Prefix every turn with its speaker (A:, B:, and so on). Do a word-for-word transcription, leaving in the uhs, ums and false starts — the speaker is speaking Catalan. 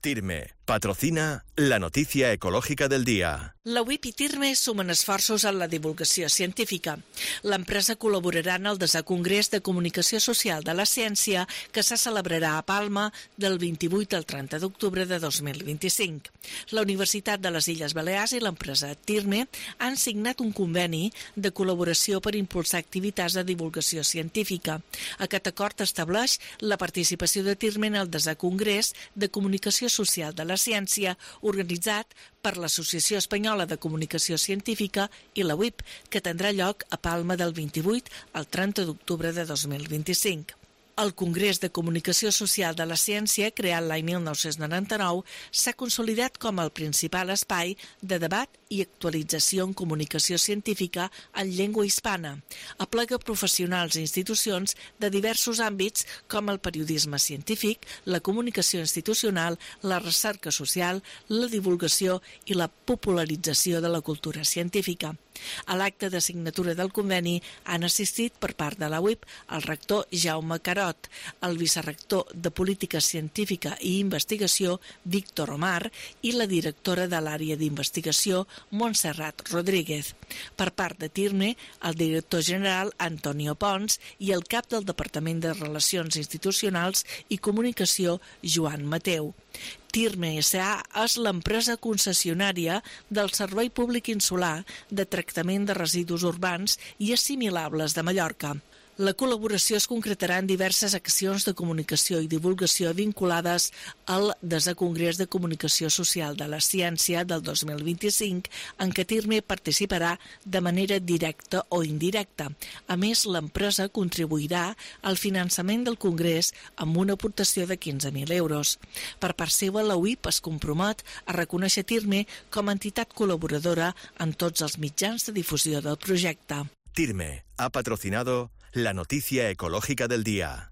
A: Tirme patrocina la noticia ecológica del día.
B: La U I P i Tirme sumen esforços en la divulgació científica. L'empresa col·laborarà en el desè Congrés de Comunicació Social de la Ciència que se celebrarà a Palma del vint-i-vuit al trenta d'octubre de dos mil vint-i-cinc. La Universitat de les Illes Balears i l'empresa Tirme han signat un conveni de col·laboració per impulsar activitats de divulgació científica. Aquest acord estableix la participació de Tirme en el desè Congrés de Comunicació Social de la Ciència organitzat per l'Associació Espanyola de Comunicació Científica i la U I P, que tindrà lloc a Palma del vint-i-vuit al trenta d'octubre de dos mil vint-i-cinc. El Congrés de Comunicació Social de la Ciència, creat l'any mil nou-cents noranta-nou, s'ha consolidat com el principal espai de debat i actualització en comunicació científica en llengua hispana. Aplega professionals i institucions de diversos àmbits com el periodisme científic, la comunicació institucional, la recerca social, la divulgació i la popularització de la cultura científica. A l'acte de signatura del conveni han assistit per part de la U I P el rector Jaume Carot, el vicerector de Política Científica i Investigació Víctor Omar i la directora de l'àrea d'investigació Montserrat Rodríguez. Per part de Tirme, el director general Antonio Pons i el cap del Departament de Relacions Institucionals i Comunicació Joan Mateu. Tirme S A és l'empresa concessionària del Servei Públic Insular de Tractament de Residus Urbans i Assimilables de Mallorca. La col·laboració es concretarà en diverses accions de comunicació i divulgació vinculades al desè Congrés de Comunicació Social de la Ciència del dos mil vint-i-cinc, en què Tirme participarà de manera directa o indirecta. A més, l'empresa contribuirà al finançament del Congrés amb una aportació de quinze mil euros. Per part seva, la U I P es compromet a reconèixer Tirme com a entitat col·laboradora en tots els mitjans de difusió del projecte.
A: Tirme ha patrocinado la noticia ecológica del día.